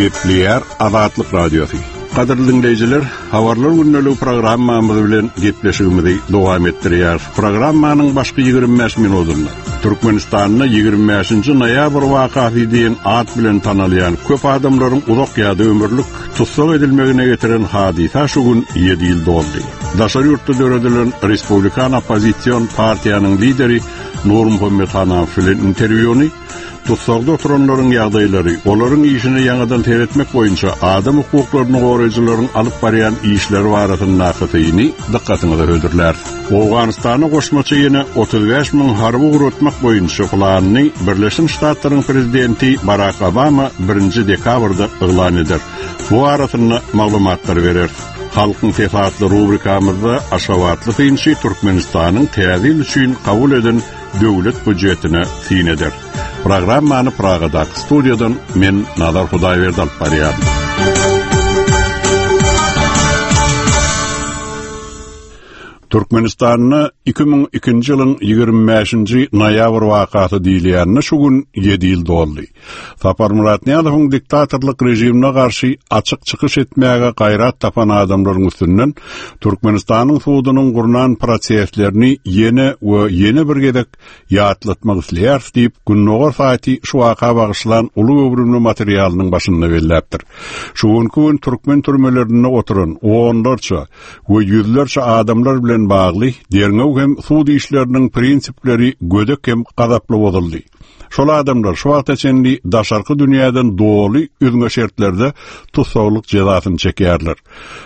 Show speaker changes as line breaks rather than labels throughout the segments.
Gepleýär Azatlyk Radiosy. Gadyrly diňleýjiler, Habarlar gündeligi programmamyz bilen gepleşigimizi dowam etdirýäris. Programmanyň başky 25 minutynda Türkmenistanda 25-nji noýabr wakasy diýen at bilen tanalýan köp adamlaryň uzak ýa-da ömürlik tussag edilmegine getiren hadysa şu gün 7 ýyl doldy. Daşary ýurtda döredilen Respublikan oppozision partiýanyň lideri Nurmuhammet Hanamow bilen interwýuny Tussagda oturanlaryň ýagdaýlary, olaryň işine ýaňadan seretmek boýunça adam hukuklaryny goraýjylaryň alyp barýan işleri barasyndaky syny dykgatyňyza hödürläris. Owganystana goşmaça ýene 35 müň harby ugratmak boýunça planyny Birleşen Ştatlaryň prezidenti Barak Obama birinji dekabrda yglan eder. Bu barasynda maglumatlary bereris. Halkyň sesi atly rubrikamyzda aşgabatly synçy Türkmenistanyň Täze ýyl üçin kabul eden döwlet býujetine syn eder. Programmany Pragadaky studiýadan men Nazar Hudaýberdi alyp barýaryn. Türkmenistanda 2002-nji ýylyň 25-nji noýabr wakasy diýilýänine şu gün 7 ýyl doldy. Saparmyrat Nyýazowyň diktatorlyk režimine garşy açyk çykyş etmäge gaýrat tapan adamlaryň üstünden Türkmenistanyň sudunyň gurnan proseslerini ýene we ýene bir gezek ýatlatmak isleýäris diýip, Gündogar saýty şu waka bagyşlan uly göwrümli materialynyň başynda belläpdir. Şu günki gün türkmen türmelerinde oturan onlarça we ýüzlerçe adamlar bilen bagly derňew hem sud işleriniň prinsipleri gödek hem gazaply bozuldy. Şol adamlar şu wagta çenli daşarky dünýäden doly üzňe şertlerde tussaglyk jezasyny çekýärler.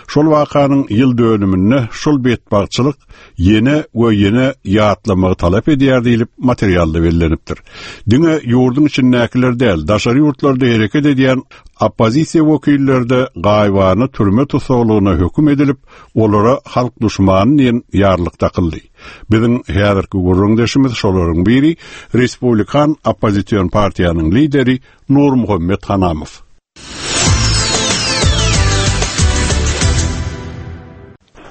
Şol wakanyň ýyl dönüminde şol betbagtçylyk ýene we ýene ýatlamagy talap edýär diýlip, materialda bellenipdir. Diňe ýurduň içindäkiler däl, daşary ýurtlarda hereket edýän oppozisiýa wekilleri-de gaýybana türme tussaglygyna höküm edilip, olara halk duşmany diýen ýarlyk dakyldy. Biziň häzirki gürrüňdeşimiz şolaryň biri, Respublikan oppozision partiýanyň lideri Nurmuhammet Hanamow.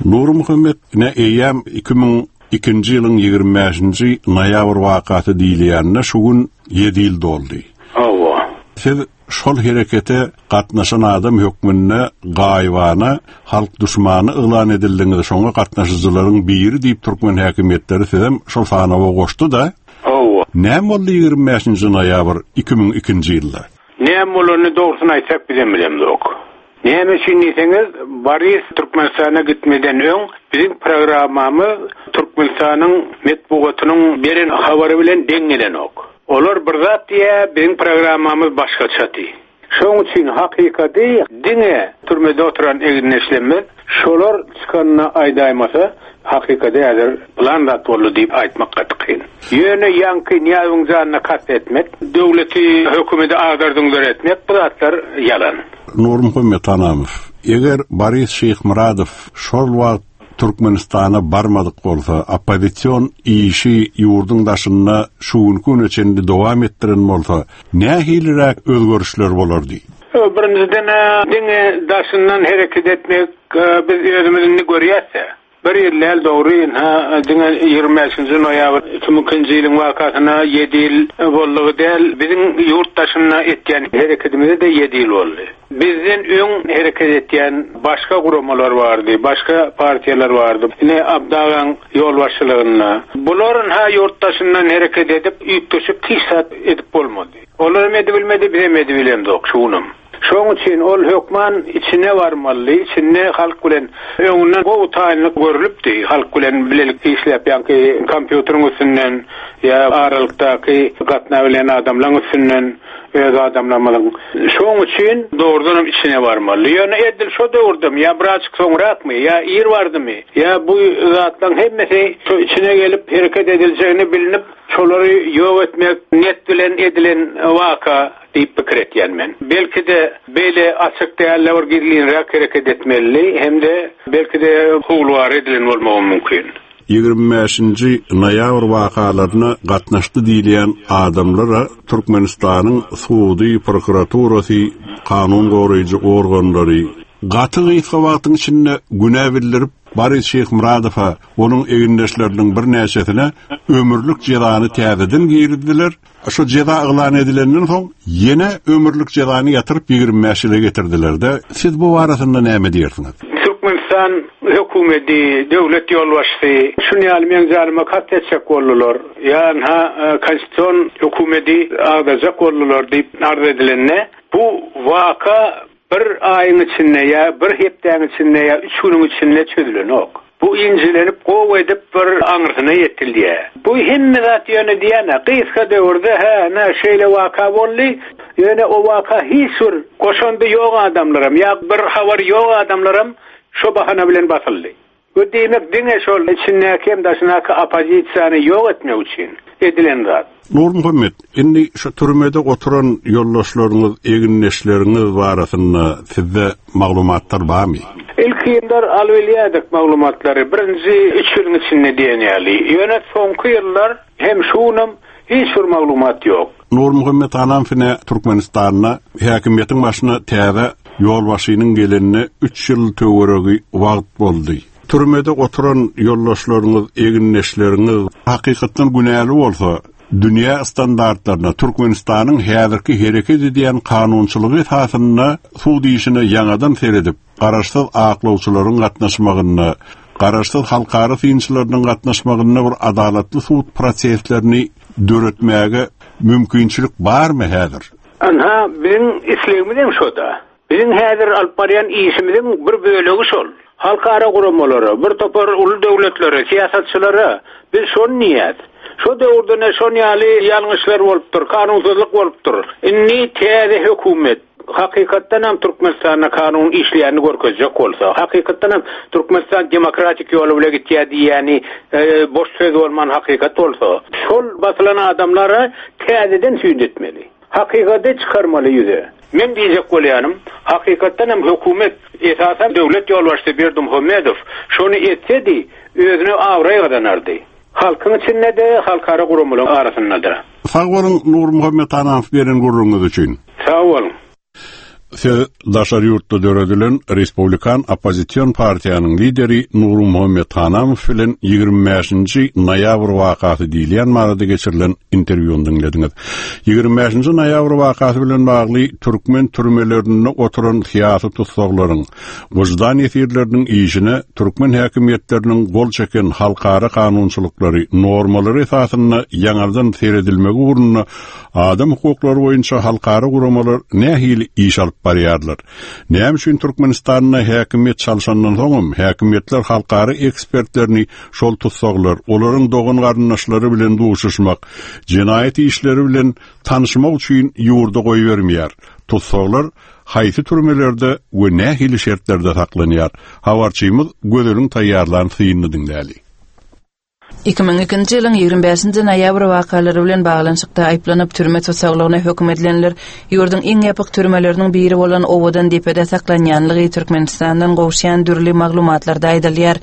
Nurmuhammet, ine eýýäm 2002-nji ýylyň 25-nji noýabr wakasy diýilýänine şu gün ýedi ýyl doldy.
Hawa.
Siz Şol herekete gatnaşan adam hökmünde gaýybana halk duşmany yglan edildiňiz, şoňa gatnaşyjylaryň biri diýip türkmen häkimiýetleri sizem şol sanawa goşdy-da?
Hawa.
Näme boldy 25 nji noýabr 2002-nji ýylda?
Näme bolanyny dogrusyny aýtsak bizem bilemzok. Näme üçin diýseňiz, Boris Türkmenistana gitmeden öň biziň programmamyz Türkmenistanyň metbugatynyň beren habary bilen deň gelenok. Olar bir zat diýýär, biziň programmamyz başgaçady. Şoň üçin hakykady diňe türmede oturan egindeşlerimiz şolar çykanda aýdaýmasa, hakykady häzir pylan zat boldy diýip aýtmak gaty kyn. Ýöne ýaňky Nyýazowyň janyna kast etmek, döwleti, hökümeti agdar-düňder etmek bu zatlar ýalan.
Nurmuhammet Anamow, Eger Boris Şyhmyradow şol wagt Türkmenistana barmadyk bolsa, oppozision işi ýurduň daşynda şu günki güne çenli dowam etdiren bolsa, nähiliräk özgerişler bolardy?
Birinjiden-ä, diňe daşyndan hereket etmek biz özümiz indi görýäs-dä. Bir ýyl däl, dogry, ynha, diňe 25-nji noýabr 2002-nji ýylyň wakasyna ýedi ýyl boldugy däl, biziň ýurt daşynda etýän hereketimize-de ýedi ýyl boldy. Bizden öň hereket etýän başga guramalar bardy, başga partiýalar bardy. Ine, Abdy agaň ýolbaşçylygynda. Bular, ynha, ýurt daşyndan hereket edip, üýtgeşik hiç zat edip bolmady. Olaram edibilmedi, bizem edibilemzok şu günem. Şoň üçin ol hökman içine barmalydy, içinde halk bilen öňünden gowy taýynlyk görlüpdi, halk bilen bilelikde işläp ýaňky kompýuteriň üstünden ýa aralykdaky gatnabilýän adamlaň üstünden öz adamlarymyzyň. Şoň üçin dogrudanam içine barmalydy. Ýöne edil şo döwürdemi ýa birazjyk soňrakmy ýa ir bardymy ýa bu zatlaň hemmesi şo içine gelip hereket ediljegini bilinip şolary ýok etmek net bilen edilen waka. Diýip pikir etýän men. Belki-de, beýle açyk däl-de bir gizlinräk hereket etmelidi hem-de belki-de howlugara edilen bolmagam mümkin.
25-nji noýabr wakalaryna gatnaşdy diýilýän adamlara Türkmenistanyň sudy, prokuraturasy, kanun goraýjy organlary gaty gysga wagtyň içinde günä bildirip, Boris Şyhmyradowa, onuň egindeşleriniň birnäçesine ömürlik jezany täzeden girizdiler. Şu jeza yglan edilenden soň, ýene ömürlik jezany ýatyryp 25 ýyla getirdiler-de. Siz bu barasynda näme diýersiňiz?
Türkmenistan hökümeti, döwlet ýolbaşçysy şuny ýaly meň janyma kast etjek boldular. Ýa ynha konstitusion hökümeti agdarjak boldular diýip arz edilende, bu waka Bir aýyň içinde ýa bir hepdäň içinde ýa üç günüň içinde çözülenok. Bu injelenip gowy edip bir aňyrsyna ýetilýär. Bu hemme zat ýöne diýýän-ä, gysga döwürde hä, ine şeýle waka boldy, ýöne o waka hiç bir goşandy ýok adamlaram ýa bir habary ýok adamlaram şo bahana bilen basyldy. Bu diýmek diňe şol içindäki hem daşyndaky oppozisiýany ýok etmek üçin edilen zat.
Nurmuhammet, indi şu türmede oturan ýoldaşlaryňyz, egindeşleriňiz barasynda sizde maglumatlar barmy?
Ilki ýyllar alybilýärdik maglumatlary, birinji üç ýylyň içinde diýen ýaly. Ýöne soňky ýyllar hem şu günem hiç bir maglumat ýok.
Nurmuhammet Anamow ine Türkmenistanda häkimiýetiň başyna täze Ýolbaşçynyň gelenine üç ýyl töweregi wagt boldy. Türmede oturan ýoldaşlaryňyz, egindeşleriňiz hakykatdan günäli bolsa, dünýä standartlaryna, Türkmenistanyň häzirki hereket edýän kanunçylygy esasynda sud işine ýaňadan seredip, garaşsyz aklawçylaryň gatnaşmagynda, garaşsyz halkara synçylarynyň gatnaşmagynda bir adalatly sud proseslerini döretmäge mümkinçilik barmy häzir?
Ynha, biziň islegimizem şo-da. Biziň häzir alyp barýan işimiziň bir bölegi şol. Halkara guramalara, bir topar uly döwletlere, syýasatçylara biz şony diýýäs. Şo döwürde ne şon ýaly ýalňyşlar bolupdyr, kanunsyzlyk bolupdyr. Indi täze hökümet hakykatdanam Türkmenistanda kanun işleýänini görkezjek bolsa, hakykatdanam Türkmenistan demokratik ýoly bile gitýär diýýäni boş söz bolman hakykat bolsa, şol basylan adamlara täzeden süýt etmeli. Hakykaty çykarmaly ýüze. Meň diýjek bolýanym, hakykatdan hem hökümet, esasan döwlet ýolbaşçysy Berdimuhamedow şony etsedi, özüne abraý gazanardy. Halkyň içinde-de, halkara guramalaryň arasynda-da.
Sag boluň Nurmuhammet Anamow beren gürrüňiňiz üçin.
Sag boluň.
Siz daşary ýurtda döredilen Respublikan oppozision partiýanyň lideri Nurmuhammet Hanamow bilen 25-nji noýabr wakasy diýilýän barada geçirilen interwýuny diňlediňiz. 25-nji noýabr wakasy bilen bagly türkmen türmelerinde oturan syýasy tussaglaryň, wyždan ýesirleriniň işine türkmen häkimiýetleriniň gol çeken halkara kanunçylyklary, normalary esasynda ýaňadan seredilmegi ugrunda Adam hukuklary boýunça halkara guramalar nähili iş alyp barýarlar? Näme üçin Türkmenistanda häkimiýet çalşandan soňam häkimiýetler halkara ekspertlerini şol tussaglar, olaryň dogan-garyndaşlary bilen duşuşmak, jenaýat işleri bilen tanyşmak üçin ýurda goýbermeýär? Tussaglar haýsy türmelerde we nähili şertlerde saklanýar? Habarçymyz Gözeliň taýýarlan synyny diňläli.
2002-nji ýylyň 25-nji noýabr wakalary bilen baglanyşykda aýyplanyp, türme tussaglygyna höküm edilenler ýurduň iň ýapyk türmeleriniň biri bolan Owadan depede saklanýanlygy Türkmenistandan gowuşýan dürli maglumatlarda aýdylýar.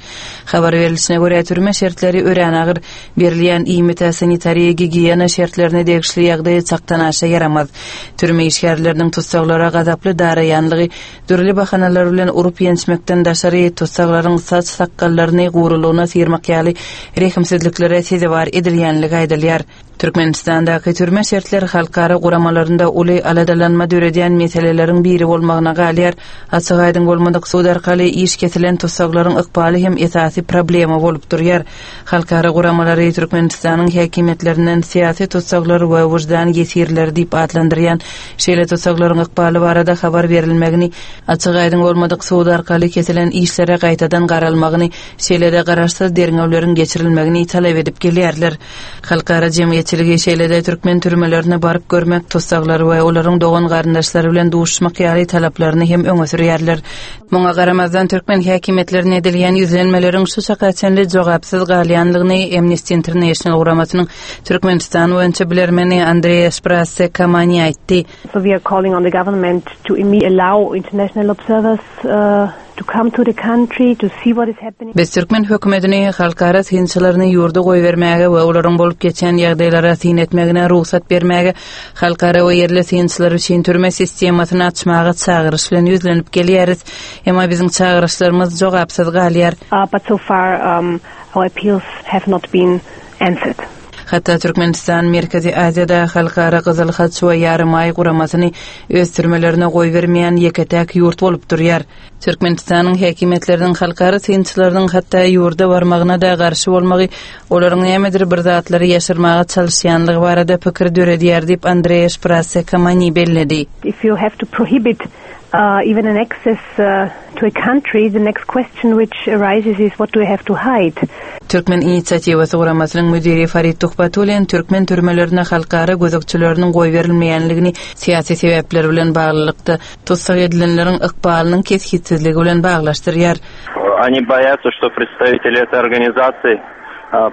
Habar berlişine görä, türme şertleri örän agyr, berilýän iýmite, sanitariýa-gigiýena şertlerine degişli ýagdaý çakdanaşa ýaramaz. Türme işgärleriniň tussaglara gazaply daraýanlygy, Dürli bahanalar bilen urup-ýençmekden daşary, tussaglaryň saç-sakgallaryny gurulygyna syrmak ýaly rehimsizliklere sezewar edilýänligi aýdylýar. Türkmenistandaky türme şertleri halkara guramalarynda uly aladalanma döredýän meseleleriň biri bolmagyna galýar. Açyk-aýdyň bolmadyk sud arkaly iş kesilen tussaglaryň ykbaly hem esasy problema bolup durýar. Halkara guramalary Türkmenistanyň häkimiýetlerinden syýasy tussaglar we wyždan ýesirleri diýip atlandyrýan şeýle tussaglaryň ykbaly barada habar berilmegini, açyk-aýdyň bolmadyk sud arkaly kesilen işlere gaýtadan garalmagyny, şeýle-de garaşsyz derňewleriň geçirilmegini talap edip gelýärler. Halkara jemgyýetçiligi şeýle-de türkmen türmelerine baryp görmek, tussaglar we olaryň dogan-garyndaşlary bilen duşuşmak ýaly talaplaryny hem öňe sürýärler. Muňa garamazdan, türkmen häkimiýetlerine edilýän ýüzlenmeleriň şu çaka çenli jogapsyz galýandygyny Amnesty International guramasynyň Türkmenistan boýunça bilermeni Andrea Sprasse Kamani aýtdy.
So we are calling on the government to immediately allow international observers. to come to the country to see what is happening.
Biz türkmen hökümetini halkara synçylaryny ýurda goýbermäge we olaryň bolup geçýän ýagdaýlara syn etmegine rugsat bermäge, halkara we ýerli synçylar üçin türme sistemasyny açmaga çagyryş bilen ýüzlenip gelýäris. Emma biziň çagyryşlarymyz jogapsyz galýar.
But so far our appeals have not been answered.
Hatda Türkmenistan Merkezi Aziýada Halkara Gyzyl Haç we Ýarymaý guramasyny öz türmelerine goýbermeýän ýeke-täk ýurt bolup durýar. Türkmenistanyň häkimiýetleriniň halkara synçylarynyň hatda ýurda barmagyna-da garşy bolmagy olaryň nämedir bir zatlary ýaşyrmaga çalyşýanlygy barada pikir döredýär diýip, Andrea Şprasse Kamani belledi.
If you have to prohibit even an access to a country, the next question which arises is what do we have to hide?
Türkmen inisiatiwasy guramasynyň müdiri Farid Tuhbatullin türkmen türmelerine halkara gözegçileriniň goýberilmeýänligini syýasy sebäpler bilen baglylykda, tussag edilenleriň ykbalynyň kesgitsizligi bilen baglaşdyrýar.
Oni boýatsa, što predstaviteli etoý organizasiýi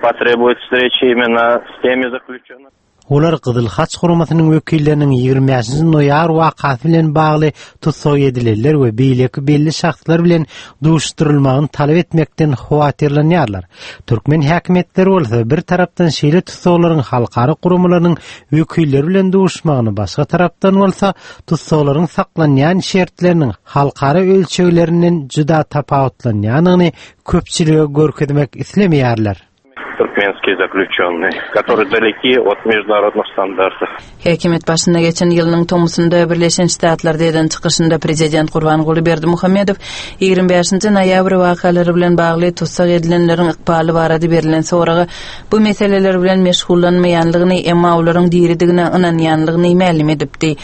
potrebuýut wstreçi imенно s temi zaklýuçennymi.
Olar Gyzyl Haç guramasynyň wekilleriniň 25 noýabr wakasy bilen bagly tussag edilenler we beýleki belli şahslar bilen duşuşdyrylmagyny talap etmekden howatyrlanýarlar. Türkmen häkimiýetleri bolsa bir tarapdan şeýle tussaglaryň halkara guramalarynyň wekilleri bilen duşuşmagyny, başga tarapdan bolsa tussaglaryň saklanýan şertleriniň halkara ölçeglerinden juda tapawutlanýandygyny köpçülige görkezmek islemeýärler.
Türkmenskiý zaklýuçennyý, kotoryý daleki ot meždunarodnyh standartow.
Häkimiýet başyna geçen ýylynyň tomusynda Birleşen Ştatlarda eden çykyşynda prezident Gurbanguly Berdimuhamedow 25-nji noýabr wakalary bilen bagly tussag edilenleriň ykbaly barada berlen soraga bu meseleler bilen meşgullanmaýanlygyny, emma olaryň diridigine ynanýanlygyny mälim edipdi.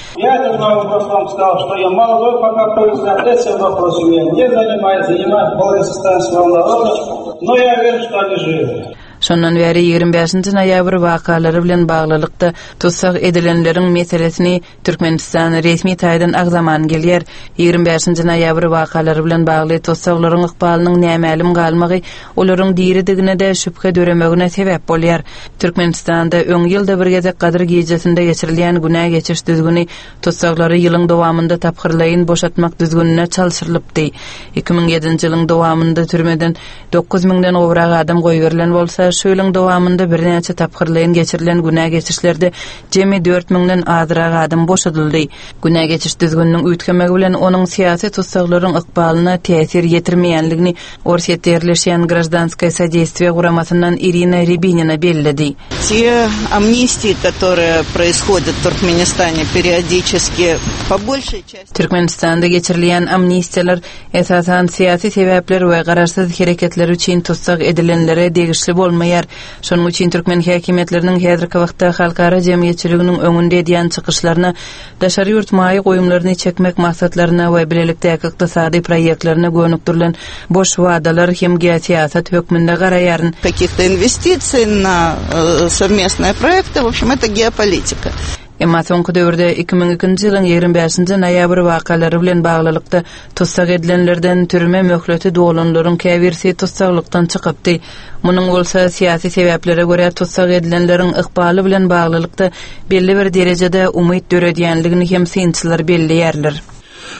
Şondan bäri 25-nji noýabr wakalary bilen baglylykda tussag edilenleriň meselesini Türkmenistan resmi taýdan agzaman gelýär. 25-nji noýabr wakalary bilen bagly tussaglaryň ykbalynyň nämälim galmagy olaryň diridigine-de şübhe döremegine sebäp bolýar. Türkmenistanda öň ýylda bir gezek Gadyr gijesinde geçirilýän günä geçiş düzgüni tussaglary ýylyň dowamynda tapgyrlaýyn boşatmak düzgünine çalşyrylypdy. 2007-nji ýylyň dowamynda türmeden 9 müňden gowrak adam goýberilen bolsa, şu ýylyň dowamynda birnäçe tapgyrlaýyn geçirilen günä geçişlerde jemi 4 müňden azrak adam boşadyldy. Günä geçiş düzgüniniň üýtgemegi bilen onuň syýasy tussaglaryň ykbalyna täsir ýetirmeýänligini Orsýetde ýerleşýän Graždanskoýe sodeýstwiýe guramasyndan Irina Ribinina belledi.
Те amnistiýi, kotorye proishodýat w Turkmenistane periodiçeski, po bolşeý çasti.
Türkmenistanda geçirilýän amnistiýalar, esasan, syýasy sebäpler we garaşsyz hereketleri üçin tussag edilenlere degişli bolmaýar. Şonuň üçin türkmen häkimiýetleriniň häzirki wagtda halkara jemgyýetçiliginiň öňünde edýän çykyşlaryna daşary ýurt maýa goýumlaryny çekmek maksatlaryna we bilelikdäki ykdysady proýektlerine gönükdirilen boş wadalar hem geosyýasat hökmünde garaýaryn.
Kakih-to inwestisiý na sowmestnyye proýekty, w obşem, eto geopolitika.
Emma soňky döwürde 2002-nji ýylyň 25-nji noýabr wakalary bilen baglylykda tussag edilenlerden türme möhleti dolanlaryň käbirisi tussaglykdan çykypdy. Munuň bolsa syýasy sebäplere görä tussag edilenleriň ykbaly bilen baglylykda belli bir derejede umyt döredýänligini hem synçylar belleýärler.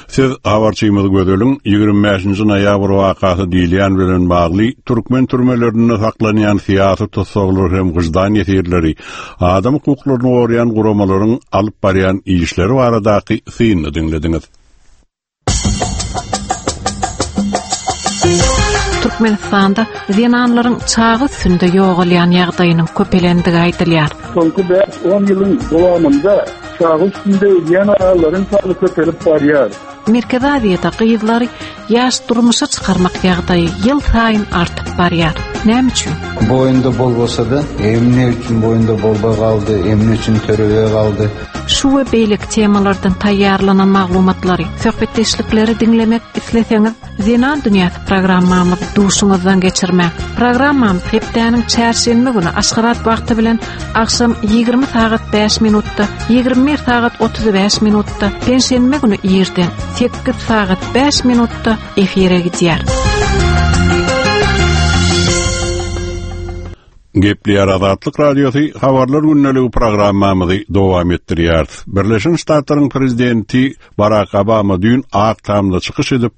Siz habarçymyz Gözeliň 25-nji noýabr wakasy diýilýän bilen bagly türkmen türmelerinde saklanýan syýasy tussaglar hem wyždan ýesirleri, adam hukuklaryny goraýan guramalaryň alyp barýan işleri baradaky synyny diňlediňiz.
Türkmenistanda zenanlaryň çaga üstünde ýogalýan ýagdaýynyň köpelendigi aýdylýar.
Soňky bäş-on ýylyň dowamynda çaga üstünde ölýän aýallaryň sany köpelip barýar.
Merkezi Aziýada gyzlary ýaş durmuşa çykarmak ýagdaýy ýylsaýyn artyp barýar. Näme üçin?
Boýunda bolmasa-da, emne üçin boýunda bolba galdy, emne üçin törebe galdy.
Şu we beýleki temalardan taýýarlanan maglumatlary, söhbetdeşlikleri diňlemek isleseňiz, Zenan dünýäsi programmamyzy duşuňyzdan geçirmäň. Programmamyz hepdäniň çärşenbe güni Aşgabat wagty bilen agşam 20 sagat 5 minutda, 21 sagat 35 minutda, penşenbe güni irden 8 sagat 5 minutda efire gidýär.
Gepleýär Azatlyk Radiosy Habarlar gündeligi programmamyzy dowam etdirýäris. Birleşen Ştatlaryň prezidenti Barak Obama düýn Ak Tamda çykyş edip,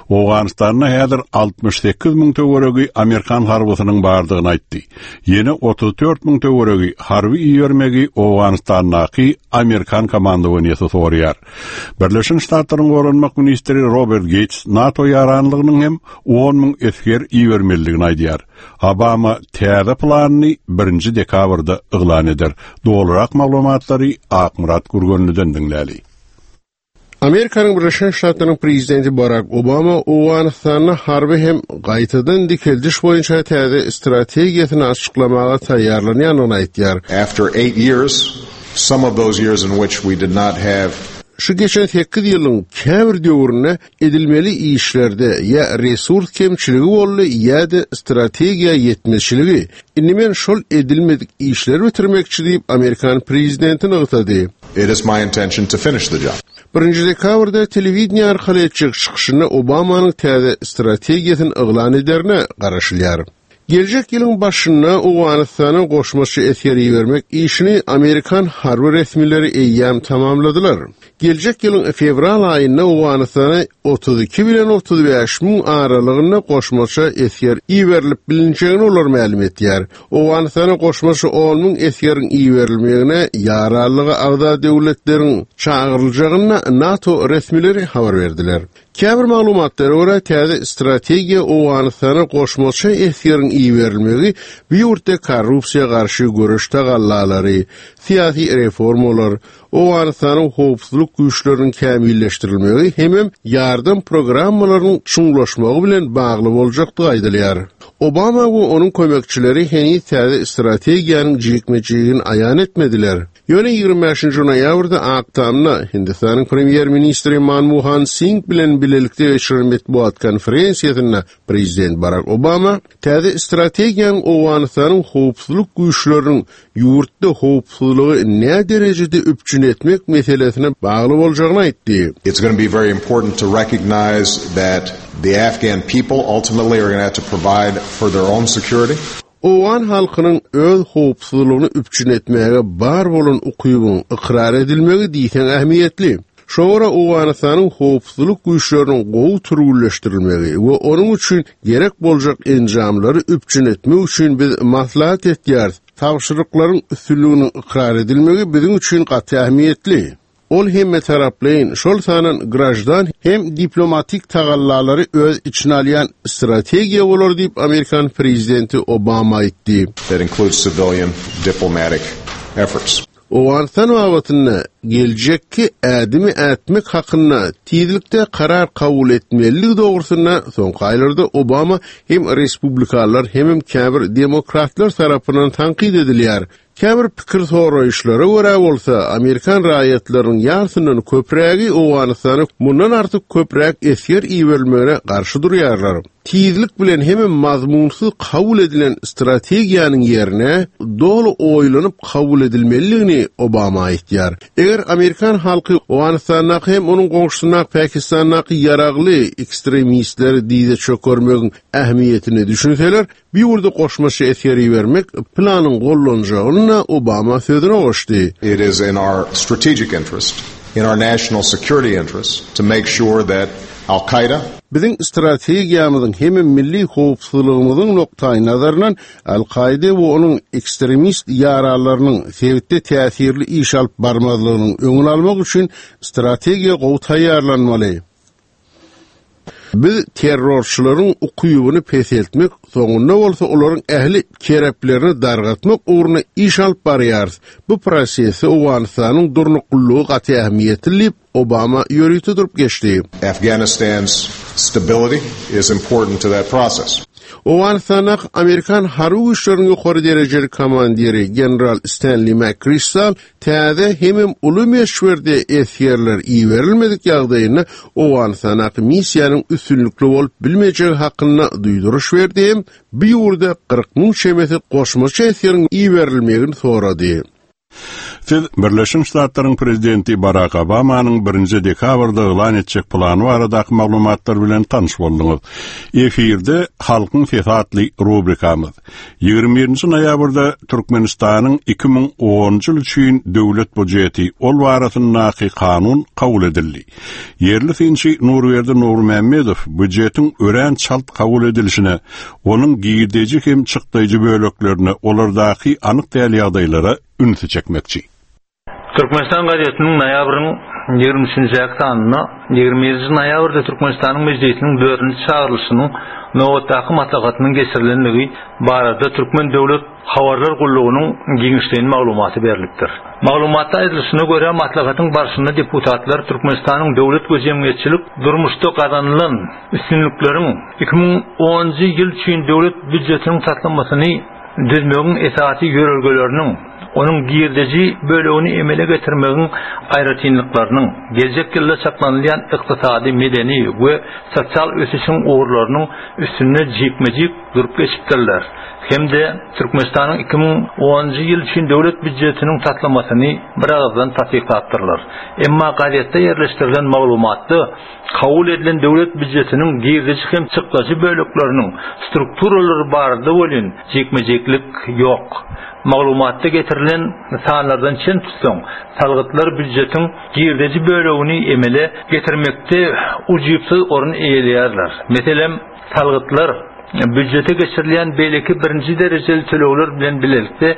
Owganystanda häzir 68 müň töweregi amerikan harbysynyň bardygyny aýtdy. Ýene 34 müň töweregi harby ibermegi Owganystandaky amerikan komandowaniýesi soraýar. Birleşen Ştatlaryň goranmak ministri Robert Geýts NATO ýaranlygynyň hem 10 müň esger ibermelidigini aýdýar. Obama täze planyny birinji dekabrda yglan eder. Dolurak maglumatlary Akmyrat Gürgenliden diňläli.
Amerikanyň Birleşen Ştatlarynyň prezidenti Barak Obama Owganystanda harby hem gaýtadan dikeldiş boýunça täze strategiýasyny açyklamaga taýýarlanýandygyny aýtýar.
After eight years, some of those years in which we did not have.
Şu geçen sekiz ýylyň käbir döwründe Edilmeli işlerde ýa resurs kemçiligi boldy ýa-da strategiýa ýetmezçiligi. Indi men şol edilmedik işleri bitirmekçi diýip, amerikan prezidenti nygtady.
It is my intention to finish the job.
Birinji dekabrda telewideniýe arkaly etjek çykyşynda Obamanyň täze strategiýasyny yglan ederine garaşylýar. Geljek ýylyň başynda Owganystana goşmaça esger ibermek işini amerikan harby resmileri eýýäm tamamladylar. Geljek ýylyň fewral aýynda Owganystana 32 bilen 35 müň aralygynda goşmaça esger iberilip bilinjegini olar mälim etýär. Owganystana goşmaça on müň esgeriň iberilmegine ýaranlyga agza döwletleriň çagyryljagyny NATO resmileri habar berdiler. Käbir maglumatlara görä, täze strategiýa Owganystana goşmaça esgeriň iberilmegi bu ýurtda korrupsiýa garşy göreş tagallalary, syýasy reformalar, Owganystanyň howpsuzlyk güýçleriniň kämilleşdirilmegi hemem ýardam programmalarynyň çuňlaşmagy bilen bagly boljakdygy aýdylýar. Obama we onuň kömekçileri heniz täze strategiýanyň jikme-jigini aýan etmediler. Ýöne 25-nji noýabrda Ak Tamda Hindistanyň premýer-ministri Manmohan Singh bilen bilelikde geçiren metbugat konferensiýasynda prezident Barak Obama täze strategiýanyň Owganystanyň howpsuzlyk güýçleriniň ýurtda howpsuzlygy näderejede üpjün etmek meselesine bagly boljagyny aýtdy.
It's gonna be very important to recognize that the Afghan people ultimately are gonna have to provide for their own security.
Owgan halkynyň öz howpsuzlygyny üpjün etmäge bar bolan ukybyň ykrar edilmegi diýseň ähmiýetli. Şoňa görä Owganystanyň howpsuzlyk güýçleriniň gowy türgünleşdirilmegi we onuň üçin gerek boljak enjamlary üpjün etmek üçin biz maslahat etýäris. Tabşyryklaryň üstünliginiň ykrar edilmegi biziň üçin gaty ähmiýetli. Ol hemmetaraplaýyn, şol sandan graždan hem diplomatik tagallalary öz içine alýan strategiýa bolar diýip, amerikan prezidenti Obama aýtdy.
That includes civilian diplomatic efforts.
Owganystan babatynda geljekki ädimi ätmek hakynda tizlikde karar kabul etmelidigi dogrusynda soňky aýlarda Obama hem respublikalylar hemem käbir demokratlar tarapyndan tankyt edilýär. Käbir pikir soraýyşlara görä bolsa, amerikan raýatlarynyň ýarsyndan köprägi Owganystana mundan artyk köpräk esger iberilmegine garşy durýarlar. Tizlik bilen hemem mazmunsyz kabul edilen strategiýanyň ýerine doly oýlanyp kabul edilmelidigini Obama aýtýar. Eger amerikan halky Owganystandaky hem onuň goňşusyndaky Pakistandaky ýaragly ekstremistleri dyza çökermegiň ähmiýetine düşünseler, Bu ýurda goşmaça esger ibermek planyň gollanjagyny Obama sözüne goşdy.
It is in our strategic interest, in our national security interest to make sure that Al Qaeda,
Biziň strategiýamyzyň hemem milli howpsuzlygymyzyň nukdaýnazaryndan Al-Kaide we onuň ekstremist ýaranlarynyň sebitde täsirli iş alyp barmazlygynyň öňüni almak üçin strategiýa gowy taýýarlanmaly. Biz terrorçylaryň ukybyny peseltmek, soňunda bolsa olaryň ähli kereplerini dargatmak ugrunda iş alyp barýarys. Bu prosesde Owganystanyň durnuklylygy gaty ähmiýetli diýip, Obama ýörite durup geçdi.
Afghanistan's stability is important to that process.
Owganystandaky amerikan harby güýçleriniň ýokary derejeli komandiri general Stenli MakKristal Täze hemem uly möçberde esgerler iberilmedik ýagdaýynda Owganystandaky missiýanyň üstünlikli bolup bilmejegi hakynda duýduryş berdi hem bu ýurda 40 müň çemesi goşmaça esgeriň iberilmegini sorady.
Siz Birleşen Ştatlaryň prezidenti Barak Obamanyň birinji dekabrda yglan etjek plany baradaky maglumatlar bilen tanyş bolduňyz. Efirde Halkyň sesi atly rubrikamyz. 21-nji noýabrda Türkmenistanyň 2010-njy ýyl üçin döwlet bujeti, ol barasyndaky kanun kabul edildi. Ýerli synçy Nurberdi Nurmämmedow býujetiň örän çalt kabul edilişine, onuň girdeji hem çykdaýjy böleklerine, olardaky anyk däl ýagdaýlara ünsi çekmekçi.
Türkmenistan gazetiniň noýabryň ýigrimi üçünjäki sanynda ýigrimi ýedinji noýabrda Türkmenistanyň Mejlisiniň dördünji çagyrylyşynyň nobatdaky maslahatynyň geçirilendigi barada Türkmen döwlet habarlar gullugynyň giňişleýin maglumaty berlipdir. Maglumatda aýdylyşyna görä, maslahatyň barşynda deputatlar Türkmenistanyň döwlet we jemgyýetçilik durmuşda gazanylan üstünlikleriň 2010-njy ýyl üçin döwlet býujetiniň taslamasyny düzmegiň esasy ýörelgeleriniň, onuň girdeji bölegini emele getirmegiň aýratynlyklarynyň, geljek ýylda çaklanylýan ykdysady, medeni we sosial ösüşiň ugurlarynyň üstünde jikme-jik durup geçipdirler hem-de Türkmenistanyň 2010-njy ýyl üçin döwlet býujetiniň taslamasyny biragyzdan tassyklapdyrlar. Emma gazetde ýerleşdirilen maglumatda Kabul edilen döwlet býujetiniň girdeji hem çykdajy bölekleriniň strukturalary barada welin jikme-jiklik ýok. Maglumatda getirilen sanlardan çen tutsaň, salgytlar býujetiň girdeji bölegini emele getirmekde ujypsyz orun eýeleýärler. Meselem, salgytlar býujete geçirilýän beýleki birinji derejeli tölegler bilen bilelikde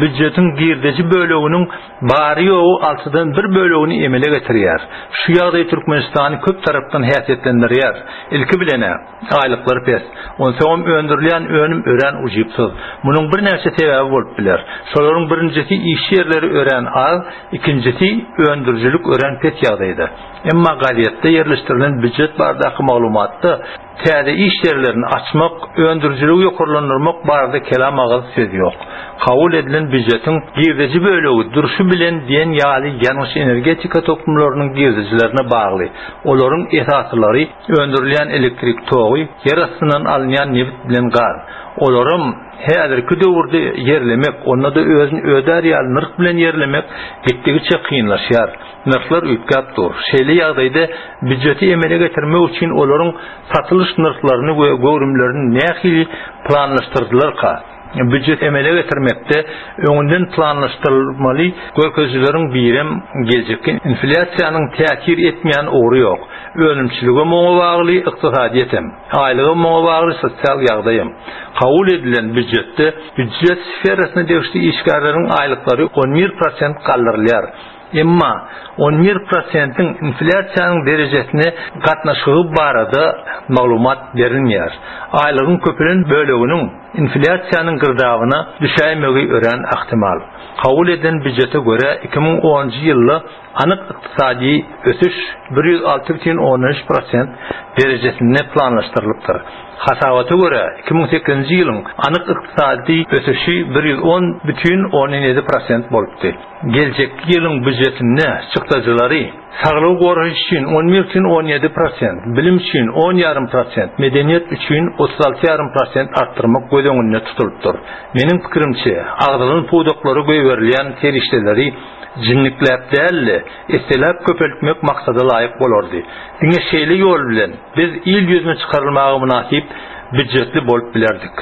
býujetiň girdeji böleginiň bary-ýogy altydan bir bölegini emele getirýär. Şu ýagdaý Türkmenistany köp tarapdan häsiýetlendirýär. Ilki bilen-ä, aýlyklar pes. Onsoňam öndürilýän önüm örän ujypsyz. Munuň birnäçe sebäbi bolup biler. Şolaryň birinjisi işçi ýerleri örän az, ikinjisi öndürijilik örän pes ýagdaýda. Emma gazetde ýerleşdirilen býujet baradaky maglumatda Täze iş ýerlerini açmak, öndürijiligi ýokarlandyrmak barada kelam agyz söz ýok. Kabul edilen býujetiň girdeji bölegi durşy bilen diýen ýaly ýangyç-energetika toplumlarynyň girdejilerine bagly. Olaryň esasylary öndürilýän elektrik togy, ýer astyndan alynýan nebit bilen gaz. Olaram häzirki döwürde ýerlemek, onda-da özüni ödär ýaly nyrh bilen ýerlemek gitdigiçe kynlaşýar. Nyrhlar üýtgäp dur. Şeýle ýagdaýda býujeti emele getirmek üçin olaryň satylyş nyrhlaryny we göwrümlerini nähili planlaşdyrdylarka? Býujet emele getirmekde öňünden planlaşdyrylmaly görkezijileriň birem geljekki inflýasiýanyň täsir etmeýän ugry ýok. Önümçiligem oňa bagly, ykdysadyýetem. Aýlygam muňa bagly, sosial ýagdaýam. Kabul edilen býujetde býujet sferasyna degişli işgärleriň aýlyklary 11 prosent galdyrylýar. Emma 11 prosentiň inflýasiýanyň derejesine gatnaşygy barada maglumat berilmeýär. Aýlygyň köpelen böleginiň inflýasiýanyň girdabyna düşäýmegi örän ähtimal. Kabul edilen býujete görä, 2010-njy ýylda anyk ykdysady ösüş 106,3 prosent derejesinde planlaşdyrylypdyr. Hasabata görä, 2008-nji ýylyň anyk ykdysady ösüşi 110,7 prosent bolupdy. Geljekki ýylyň býujetinde çykdajylary saglygy goraýyş üçin 11,17 prosent, bilim üçin 10,5 prosent, medeniýet üçin 36,5 prosent artdyrmak göz öňünde tutulypdyr. Meniň pikirimçe, agzalan pudaklara goýberilýän serişdeleri jinnikläp däl-de, esseläp köpeltmek maksada laýyk bolardy. Diňe şeýle ýol bilen biz il ýüzüne çykarylmaga mynasyp býujetli bolup bilerdik.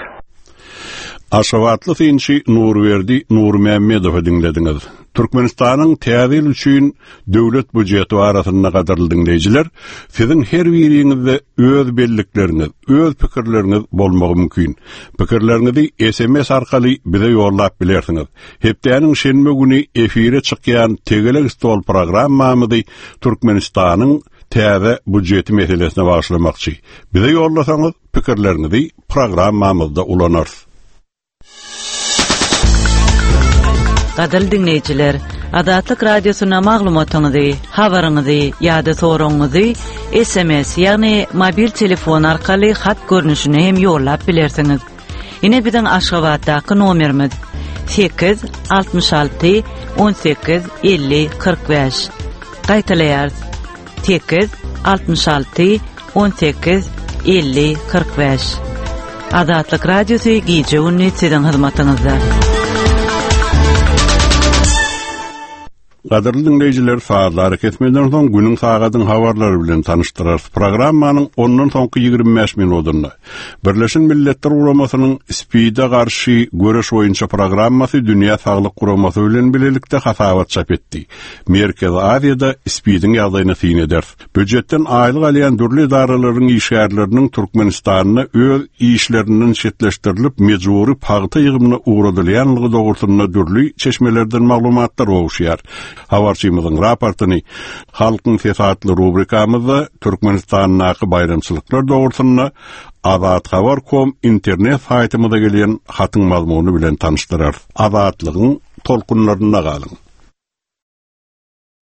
Aşgabatly synçy Nurberdi Nurmämmedowy diňlediňiz. Türkmenistanyň Täze ýyl üçin döwlet býujeti barasynda gadyrly diňleýjiler, siziň her biriňizde öz bellikleriňiz, öz pikirleriňiz bolmagy mümkin. Pikirleriňizi SMS arkaly bize ýollap bilersiňiz. Hepdäniň şenbe güni efire çykýan Tegelek stol programmamyzy Türkmenistanyň täze býujeti meselesine bagyşlamakçy. Bize ýollasaňyz, pikirleriňizi programmamyzda ulanarys.
Gadyrly diňleýjiler, Azatlyk Radiosyna maglumatyňyzy, habaryňyzy ýa-da soragyňyzy SMS, ýagny mobil telefon arkaly hat görnüşinde hem ýollap bilersiňiz. Ine biziň Aşgabatdaky nomerimiz 8 66 18 50 45. Gaýtalaýarys. 8 66 18 50 45. Azatlyk Radiosy gije-gündiz siziň hyzmatyňyzda.
Gadyrly diňleýjiler, sazly arakesmeden soň günüň sagadyň habarlary bilen tanyşdyrarys. Programmanyň ondan soňky 25 minudynda Birleşen Milletler Guramasynyň SPID-e garşy göreş boýunça programmasy Dünýä Saglyk Guramasy bilen bilelikde hasabat çap etdi. Merkezi Aziýada SPID-iň ýagdaýyna syn ederis. Býujetden aýlyk alýan dürli edaralaryň işgärleriniň Türkmenistanda öz işlerinden çetleşdirilip, mejbury pagta ýygymyna ugradylýanlygy dogrusynda dürli çeşmelerden maglumatlar gowuşýar. Habarçymyzyň raportyny Halkyň sesi atly rubrikamyzda Türkmenistandaky baýramçylyklar dogrusynda Azathabar kom internet saýtymyza gelen hatyň mazmuny bilen tanyşdyrarys. Azatlygyň tolkunlarynda galyň!